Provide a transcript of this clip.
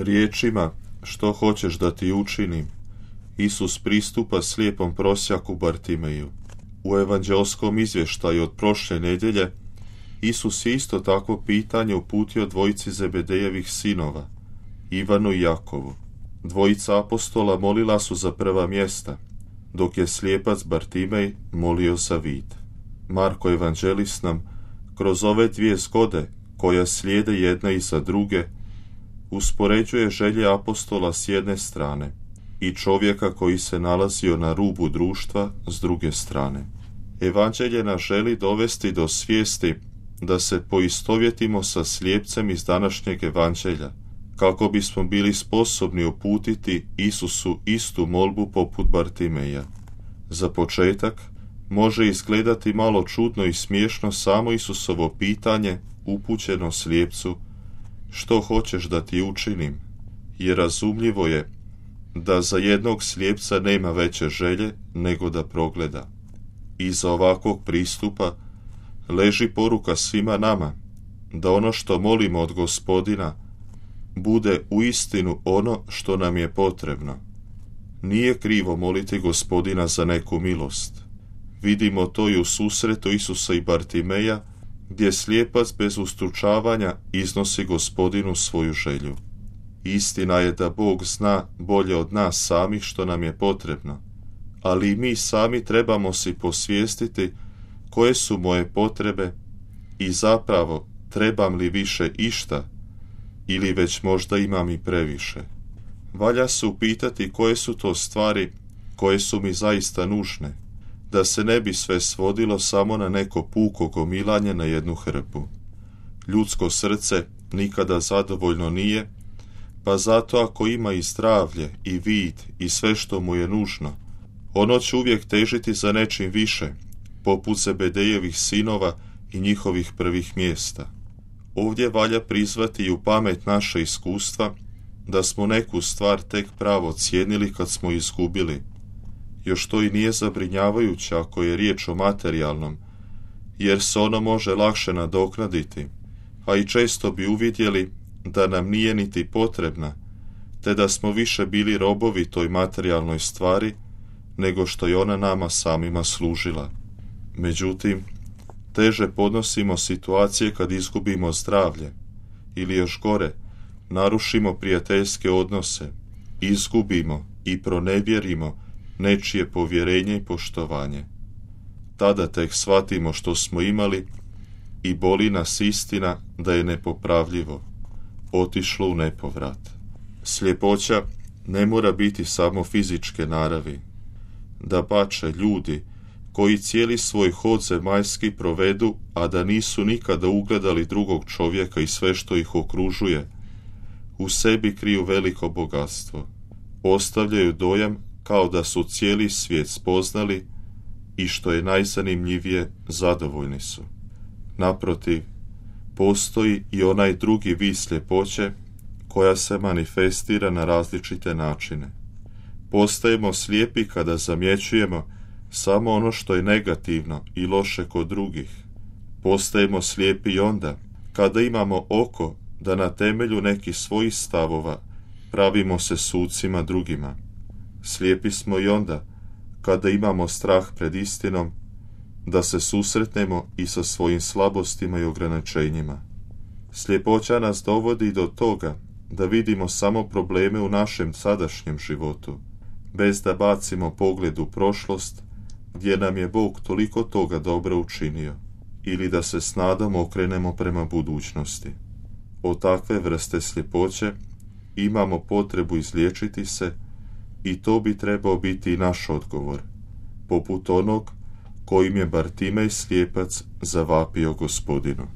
Riječima što hoćeš da ti učinim, Isus pristupa slijepom prosjaku Bartimeju. U evanđelskom izvještaju od prošle nedjelje Isus je isto takvo pitanje uputio dvojici Zebedejevih sinova, Ivanu i Jakovu. Dvojica apostola molila su za prva mjesta, dok je slijepac Bartimej molio za vid. Marko evanđelist nam kroz ove dvije zgode, koja slijede jedna iza druge, uspoređuje želje apostola s jedne strane i čovjeka koji se nalazio na rubu društva s druge strane. Evanđelje nas želi dovesti do svijesti da se poistovjetimo sa slijepcem iz današnjeg evanđelja, kako bismo bili sposobni uputiti Isusu istu molbu poput Bartimeja. Za početak, može izgledati malo čudno i smiješno samo Isusovo pitanje upućeno slijepcu: što hoćeš da ti učinim? Jer razumljivo je da za jednog slijepca nema veće želje nego da progleda. Iza ovakvog pristupa leži poruka svima nama, da ono što molimo od Gospodina bude uistinu ono što nam je potrebno. Nije krivo moliti Gospodina za neku milost. Vidimo to i u susretu Isusa i Bartimeja, gdje slijepac bez ustručavanja iznosi Gospodinu svoju želju. Istina je da Bog zna bolje od nas samih što nam je potrebno, ali i mi sami trebamo si posvijestiti koje su moje potrebe i zapravo trebam li više išta ili već možda imam i previše. Valja se upitati koje su to stvari koje su mi zaista nužne, da se ne bi sve svodilo samo na neko puko gomilanje na jednu hrpu. Ljudsko srce nikada zadovoljno nije, pa zato ako ima i zdravlje i vid i sve što mu je nužno, ono će uvijek težiti za nečim više, poput Zebedejevih sinova i njihovih prvih mjesta. Ovdje valja prizvati i u pamet naše iskustva da smo neku stvar tek pravo cijenili kad smo izgubili. Još to i nije zabrinjavajuće ako je riječ o materijalnom, jer se ono može lakše nadoknaditi, a i često bi uvidjeli da nam nije niti potrebna, te da smo više bili robovi toj materijalnoj stvari nego što je ona nama samima služila. Međutim, teže podnosimo situacije kad izgubimo zdravlje ili još gore, narušimo prijateljske odnose, izgubimo i pronevjerimo nečije povjerenje i poštovanje. Tada tek shvatimo što smo imali i boli nas istina da je nepopravljivo, otišlo u nepovrat. Sljepoća ne mora biti samo fizičke naravi. Dapače, ljudi koji cijeli svoj hod zemaljski provedu, a da nisu nikada ugledali drugog čovjeka i sve što ih okružuje, u sebi kriju veliko bogatstvo. Ostavljaju dojam kao da su cijeli svijet spoznali i što je najzanimljivije, zadovoljni su. Naprotiv, postoji i onaj drugi vid sljepoće koja se manifestira na različite načine. Postajemo slijepi kada zamjećujemo samo ono što je negativno i loše kod drugih. Postajemo slijepi i onda kada imamo oko da na temelju nekih svojih stavova pravimo se sucima drugima. Slijepi smo i onda kada imamo strah pred istinom, da se susretnemo i sa svojim slabostima i ograničenjima. Sljepoća nas dovodi do toga da vidimo samo probleme u našem sadašnjem životu, bez da bacimo pogled u prošlost, gdje nam je Bog toliko toga dobro učinio, ili da se s nadom okrenemo prema budućnosti. Od takve vrste sljepoće imamo potrebu izliječiti se i to bi trebao biti i naš odgovor, poput onog kojim je Bartimej slijepac zavapio Gospodinu.